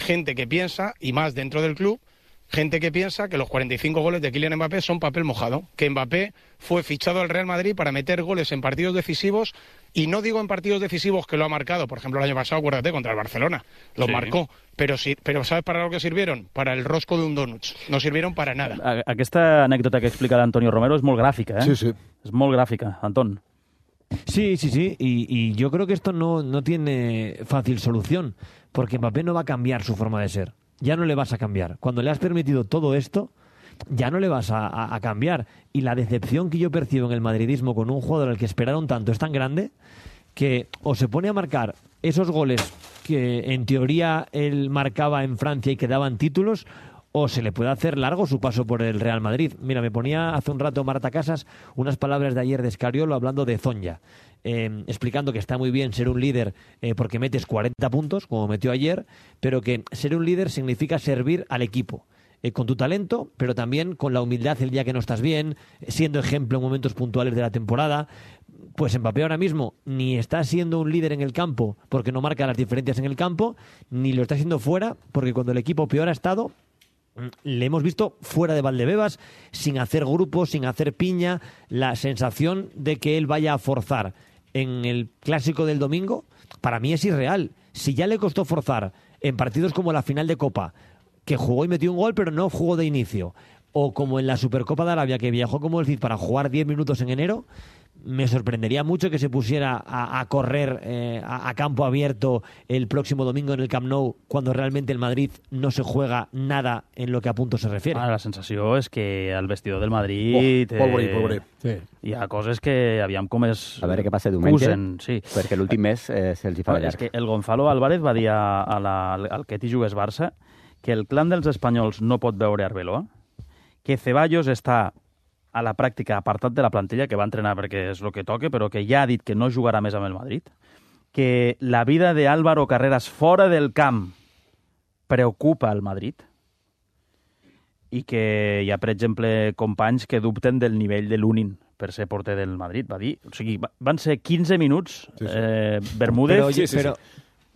gente que piensa, y más dentro del club, gente que piensa que los 45 goles de Kylian Mbappé son papel mojado, que Mbappé fue fichado al Real Madrid para meter goles en partidos decisivos, y no digo en partidos decisivos que lo ha marcado, por ejemplo el año pasado, acuérdate, contra el Barcelona, lo marcó, pero ¿sabes para lo que sirvieron? Para el rosco de un donut, no sirvieron para nada. Aquesta anècdota que explica l'Antonio Romero és molt gràfica, Sí. És molt gràfica, Antón. Sí, y yo creo que esto no tiene fácil solución, porque Mbappé no va a cambiar su forma de ser. Ya no le vas a cambiar. Cuando le has permitido todo esto, ya no le vas a cambiar. Y la decepción que yo percibo en el madridismo con un jugador al que esperaron tanto es tan grande que o se pone a marcar esos goles que en teoría él marcaba en Francia y que daban títulos, o se le puede hacer largo su paso por el Real Madrid. Mira, me ponía hace un rato Marta Casas unas palabras de ayer de Escariolo hablando de Zonja, explicando que está muy bien ser un líder porque metes 40 puntos, como metió ayer, pero que ser un líder significa servir al equipo. Con tu talento, pero también con la humildad el día que no estás bien, siendo ejemplo en momentos puntuales de la temporada. Pues Mbappé ahora mismo ni está siendo un líder en el campo porque no marca las diferencias en el campo, ni lo está haciendo fuera porque cuando el equipo peor ha estado, le hemos visto fuera de Valdebebas, sin hacer grupo, sin hacer piña. La sensación de que él vaya a forzar en el clásico del domingo, para mí es irreal. Si ya le costó forzar en partidos como la final de Copa, que jugó y metió un gol pero no jugó de inicio, o como en la Supercopa de Arabia, que viajó como el Cid para jugar 10 minutos en enero, me sorprendería mucho que se pusiera a correr a campo abierto el próximo domingo en el Camp Nou, cuando realmente el Madrid no se juega nada en lo que a puntos se refiere. La sensació és que al vestidor del Madrid pobre. Sí. Hi ha coses que aviam com es A veure què passa diumenge, usen, sí. perquè l'últim mes se'ls hi fa de És llarg. que el Gonzalo Álvarez va dir al que t'hi jugues Barça que el clan dels espanyols no pot veure Arbeloa, que Ceballos està a la pràctica apartat de la plantilla, que va entrenar perquè és el que toca, però que ja ha dit que no jugarà més amb el Madrid, que la vida d'Álvaro Carreras fora del camp preocupa al Madrid i que hi ha, per exemple, companys que dubten del nivell de Lunin per ser porter del Madrid. Va dir, o sigui, van ser 15 minuts, Bermúdez...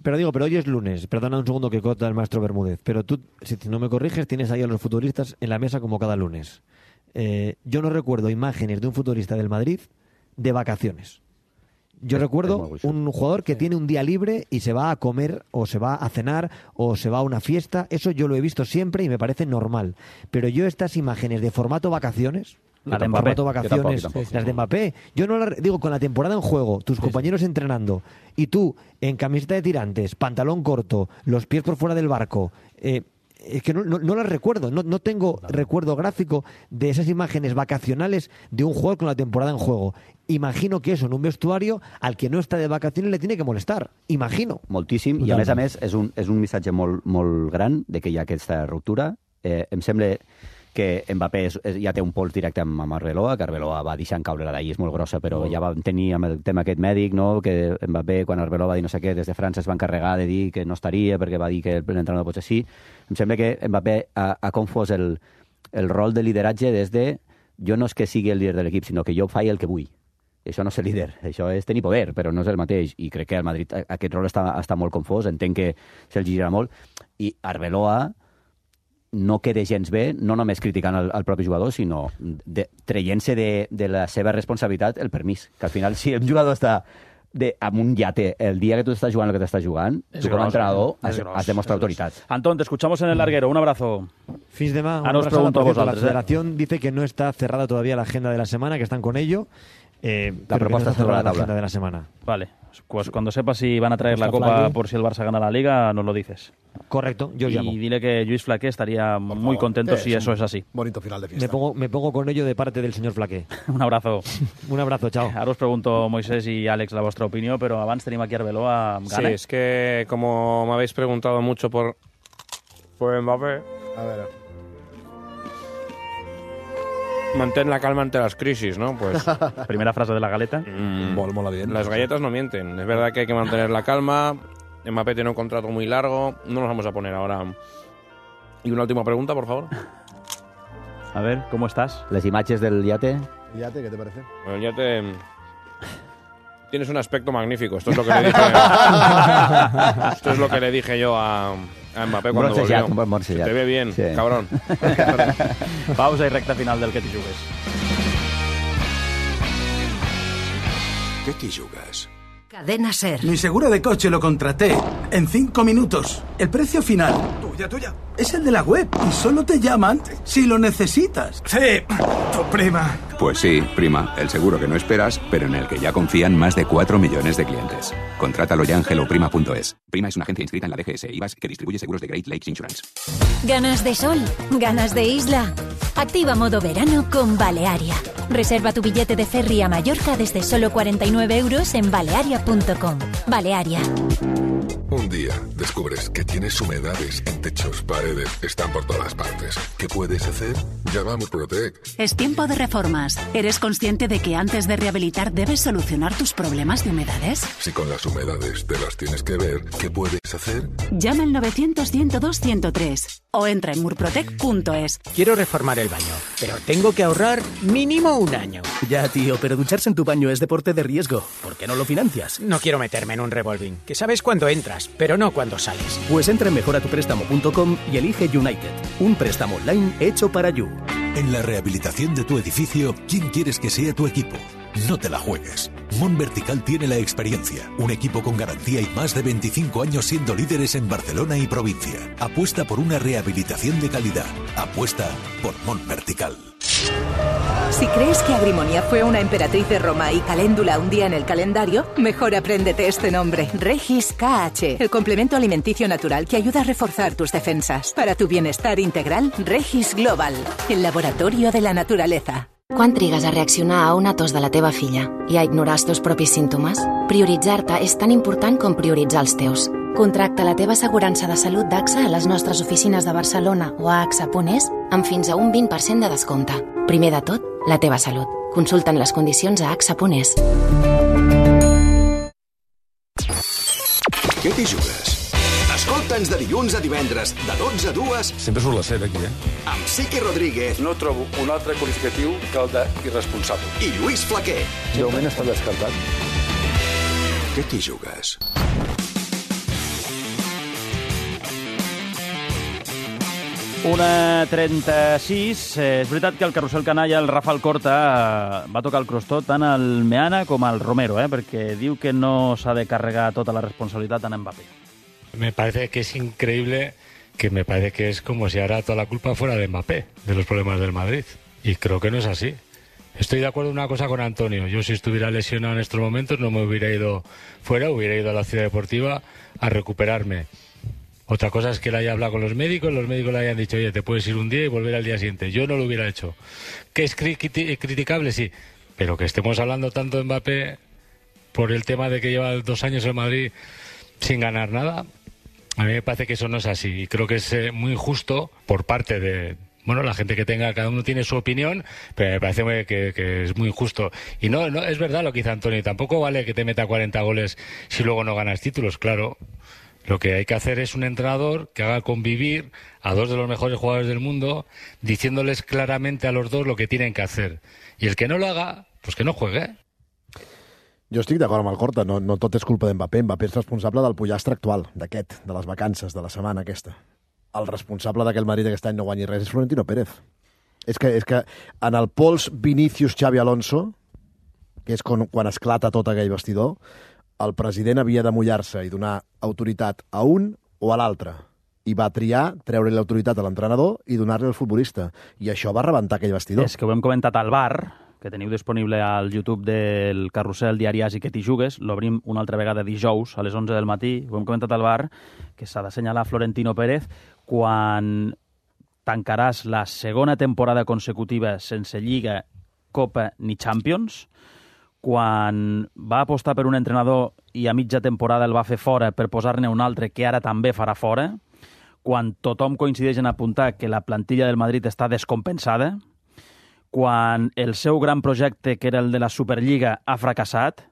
Pero digo, pero hoy es lunes, perdona un segundo que corta el maestro Bermúdez, pero tú, si no me corriges, tienes ahí a los futbolistas en la mesa como cada lunes. Yo no recuerdo imágenes de un futbolista del Madrid de vacaciones. Yo recuerdo un jugador que tiene un día libre y se va a comer o se va a cenar o se va a una fiesta. Eso yo lo he visto siempre y me parece normal. Pero yo estas imágenes de formato vacaciones... Las de Mbappé. Las de Mbappé. Yo no digo, con la temporada en juego, tus compañeros entrenando y tú en camiseta de tirantes, pantalón corto, los pies por fuera del barco... es que no las recuerdo, no tengo recuerdo gráfico de esas imágenes vacacionales de un jugador con la temporada en juego. Imagino que eso en un vestuario al que no està de vacaciones le tiene que molestar, imagino. Moltíssim, i a més és un missatge molt gran de que hi ha aquesta ruptura. Em sembla que Mbappé ja té un pols directe amb Arbeloa, que Arbeloa va deixant caure la d'ahir, és molt grossa, però ja vam tenir amb el tema aquest mèdic, no? Que Mbappé, quan Arbeloa va dir no sé què, des de França es va encarregar de dir que no estaria perquè va dir que l'entrenador pot ser així. Em sembla que Mbappé ha confós el rol de lideratge des de jo no és que sigui el líder de l'equip, sinó que jo faig el que vull. Això no és ser líder, això és tenir poder, però no és el mateix. I crec que al Madrid aquest rol està molt confós, entenc que se'l girarà molt. I Arbeloa no queda gens bé, no només criticant el propi jugador, sinó traient-se de la seva responsabilitat el permís. Que al final, si un jugador està amb un yate el dia que tu estàs jugant el que t'estàs jugant, tu com a entrenador has de mostrar autoridad. Antón, te escuchamos en el larguero. Un abrazo. Fins demà. Ahora os pregunto a vosotros. La federación dice que no está cerrada todavía la agenda de la semana, que están con ello. La propuesta está sobre la tabla de la semana. Vale, pues cuando sepas si van a traer la Copa por si el Barça gana la Liga, nos lo dices. Correcto, yo llamo. Y dile que Lluís Flaqué estaría muy contento si eso es así. Bonito final de fiesta. Me pongo con ello de parte del señor Flaqué. Un abrazo. Un abrazo, chao. Ahora os pregunto, Moisés y Àlex, la vuestra opinión, pero abans tenim aquí Arbeloa. Sí, es que como me habéis preguntado mucho por Mbappé... A ver... Mantén la calma ante las crisis, ¿no? Pues primera frase de la galeta. Mola bien. Las galletas no mienten. Es verdad que hay que mantener la calma. Mbappé tiene un contrato muy largo. No nos vamos a poner ahora. Y una última pregunta, por favor. A ver, ¿cómo estás? Las imágenes del yate. ¿El yate qué te parece? Bueno, el yate... Tienes un aspecto magnífico. Esto es lo que le dije. Esto es lo que le dije yo a Mbappé cuando volvió. Se te ve bien, sí. Cabrón. Pausa y recta final del Que t'hi jugues. ¿Qué t'hi jugues? Cadena SER. Mi seguro de coche lo contraté en 5 minutos. El precio final Tuya. es el de la web y solo te llaman si lo necesitas. Sí, tu prima. Pues sí, prima, el seguro que no esperas, pero en el que ya confían más de 4 millones de clientes. Contrátalo ya en helloprima.es. Prima es una agencia inscrita en la DGS IVAS que distribuye seguros de Great Lakes Insurance. ¿Ganas de sol? ¿Ganas de isla? Activa modo verano con Balearia. Reserva tu billete de ferry a Mallorca desde solo 49 euros en balearia.com. Balearia. Un día descubres que tienes humedades en techos, paredes, están por todas partes. ¿Qué puedes hacer? Llama a Murprotec. Es tiempo de reformas. ¿Eres consciente de que antes de rehabilitar debes solucionar tus problemas de humedades? Si con las humedades te las tienes que ver, ¿qué puedes hacer? Llama al 900-102-103 o entra en murprotec.es. Quiero reformar el baño, pero tengo que ahorrar mínimo un año. Ya, tío, pero ducharse en tu baño es deporte de riesgo. ¿Por qué no lo financias? No quiero meterme en un revolving, que sabes cuándo entras, pero no cuándo sales. Pues entra en mejoratuprestamo.com y elige United, un préstamo online hecho para You. En la rehabilitación de tu edificio, ¿quién quieres que sea tu equipo? No te la juegues. Mont Vertical tiene la experiencia, un equipo con garantía y más de 25 años siendo líderes en Barcelona y provincia. Apuesta por una rehabilitación de calidad. Apuesta por Mont Vertical. Si crees que Agrimonia fue una emperatriz de Roma y Caléndula un día en el calendario, mejor apréndete este nombre. Regis KH, el complemento alimenticio natural que ayuda a reforzar tus defensas. Para tu bienestar integral, Regis Global, el laboratorio de la naturaleza. Quan trigues a reaccionar a una tos de la teva filla i a ignorar els teus propis símptomes? Prioritzar-te és tan important com prioritzar els teus. Contracta la teva assegurança de salut d'AXA a les nostres oficines de Barcelona o a AXA.es amb fins a un 20% de descompte. Primer de tot, la teva salut. Consulta'n les condicions a AXA.es. Què t'hi jugues? Escolta'ns de dilluns a divendres, de 12 a 2... Sempre surt la set, aquí, Amb Sique Rodríguez. No trobo un altre qualificatiu que el d'irresponsable. I Lluís Flaquer. De moment està descartat. Què t'hi jugues? Una 36. És veritat que el carrusel canalla, el Rafael Corta, va tocar el crostó tant al Meana com al Romero, perquè diu que no s'ha de carregar tota la responsabilitat en Mbappé. Me parece que es increíble, que me parece que es como si ahora toda la culpa fuera de Mbappé, de los problemas del Madrid. Y creo que no es así. Estoy de acuerdo en una cosa con Antonio. Yo si estuviera lesionado en estos momentos no me hubiera ido fuera, hubiera ido a la Ciudad Deportiva a recuperarme. Otra cosa es que él haya hablado con los médicos le hayan dicho, oye, te puedes ir un día y volver al día siguiente. Yo no lo hubiera hecho. ¿Que es criticable? Sí. Pero que estemos hablando tanto de Mbappé por el tema de que lleva 2 años en Madrid sin ganar nada, a mí me parece que eso no es así. Y creo que es muy injusto por parte de... Bueno, la gente que tenga, cada uno tiene su opinión, pero me parece que es muy injusto. Y no, es verdad lo que dice Antonio, tampoco vale que te meta 40 goles si luego no ganas títulos, claro. Lo que hay que hacer es un entrenador que haga convivir a 2 de los mejores jugadores del mundo, diciéndoles claramente a los 2 lo que tienen que hacer. Y el que no lo haga, pues que no juegue. Jo estic d'acord amb el Corta, no tot és culpa d'Mbappé. Mbappé és responsable del pollastre actual, d'aquest, de les vacances, de la setmana aquesta. El responsable d'aquell Madrid aquest any no guanyi res és Florentino Pérez. És que en el pols Vinícius-Xavi Alonso, que és quan esclata tot aquell vestidor, el president havia de mullar-se i donar autoritat a un o a l'altre. I va triar treure-li l'autoritat a l'entrenador i donar-li al futbolista. I això va rebentar aquell vestidor. És que ho hem comentat al bar, que teniu disponible al YouTube del Carrusel Diari Asi que t'hi jugues. L'obrim una altra vegada dijous a les 11 del matí. Ho hem comentat al bar, que s'ha d'assenyalar Florentino Pérez quan tancaràs la segona temporada consecutiva sense Lliga, Copa ni Champions, quan va apostar per un entrenador i a mitja temporada el va fer fora per posar-ne un altre que ara també farà fora, quan tothom coincideix en apuntar que la plantilla del Madrid està descompensada, quan el seu gran projecte, que era el de la Superliga, ha fracassat,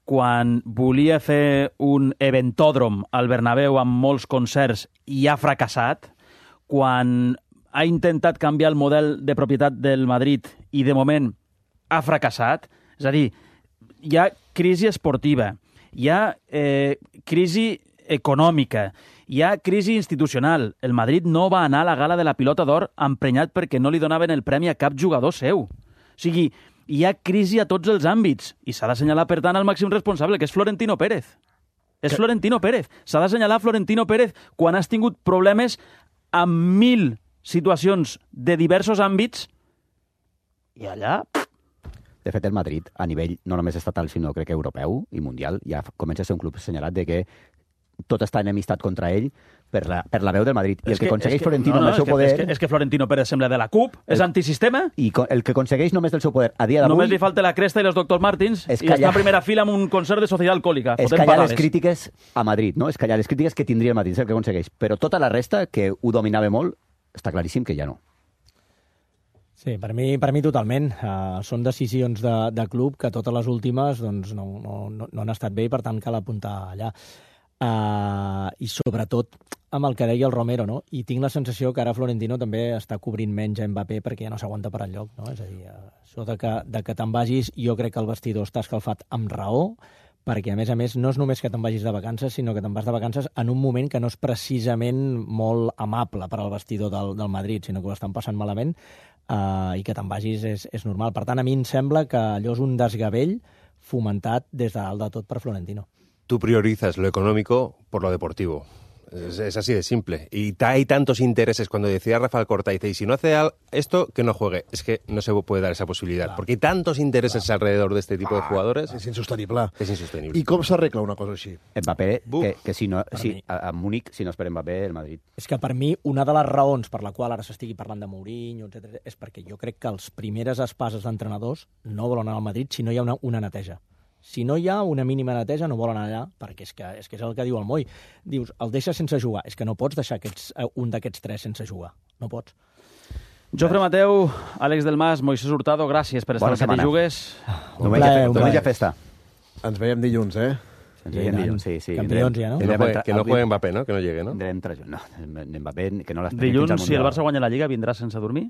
quan volia fer un eventòdrom al Bernabéu amb molts concerts i ha fracassat, quan ha intentat canviar el model de propietat del Madrid i, de moment, ha fracassat. És a dir, hi ha crisi esportiva, hi ha crisi econòmica, hi ha crisi institucional. El Madrid no va anar a la gala de la Pilota d'Or emprenyat perquè no li donaven el premi a cap jugador seu. O sigui, hi ha crisi a tots els àmbits i s'ha d'assenyalar, per tant, el màxim responsable, que és Florentino Pérez. És Florentino Pérez. S'ha d'assenyalar Florentino Pérez quan has tingut problemes amb 1000 situacions de diversos àmbits i allà... De fet, el Madrid, a nivell no només estatal, sinó crec que europeu i mundial, ja comença a ser un club assenyalat de que tot està enemistat contra ell per la veu del Madrid. I el que aconsegueix Florentino amb el seu poder... És que Florentino Pérez sembla de la CUP, és antisistema. I el que aconsegueix només del seu poder a dia d'avui... Només li falta la cresta i els doctors Martins i està en primera fila amb un concert de Societat Alcohòlica. És callar les crítiques a Madrid, no? És callar les crítiques que tindria el Madrid, és el que aconsegueix. Però tota la resta, que ho dominava molt, està claríssim que ja no. Sí, per mi totalment. Són decisions de club que totes les últimes doncs, no han estat bé i per tant cal apuntar allà. I sobretot amb el que deia el Romero, no? I tinc la sensació que ara Florentino també està cobrint menys a Mbappé perquè ja no s'aguanta per enlloc, no? És a dir, això de que te'n vagis, jo crec que el vestidor està escalfat amb raó, perquè, a més, no és només que te'n vagis de vacances, sinó que te'n vas de vacances en un moment que no és precisament molt amable per al vestidor del Madrid, sinó que ho estan passant malament, i que te'n vagis és normal. Per tant, a mi em sembla que allò és un desgavell fomentat des de dalt de tot per Florentino. Tú priorizas lo económico por lo deportivo. Es así de simple. Y hay tantos intereses. Cuando decía Rafael Corta, dice, y si no hace esto, que no juegue. Es que no se puede dar esa posibilidad. Porque hay tantos intereses alrededor de este tipo de jugadores. És insostenible. És insostenible. I com s'arregla una cosa així? Mbappé, que si no, a Múnich, si no espera Mbappé, el Madrid. És que per mi, una de les raons per la qual ara s'estigui parlant de Mourinho, etc., és perquè jo crec que els primeres espases d'entrenadors no volen anar al Madrid si no hi ha una neteja. Si no hi ha una mínima neteja, no volen anar allà, perquè és que és el que diu el Moi. Dius, el deixa sense jugar. És que no pots deixar un d'aquests tres sense jugar. No pots. Jofre Mateu, Àlex del Mas, Moisés Hurtado, gràcies per estar al Que t'hi jugues. Diumenge festa. Ens veiem dilluns, Ens veiem dilluns, sí. Campions ja, no? Que no juegue Mbappé, ¿no? Que no llegue, ¿no? No, Mbappé, que no l'està Dilluns, si el Barça guanya la Lliga, vindràs sense dormir?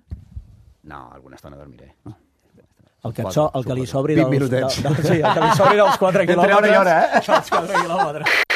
No, alguna estona dormiré. El que li sobri dels 4 quilòmetres. Entre hora i hora, Els 4 quilòmetres.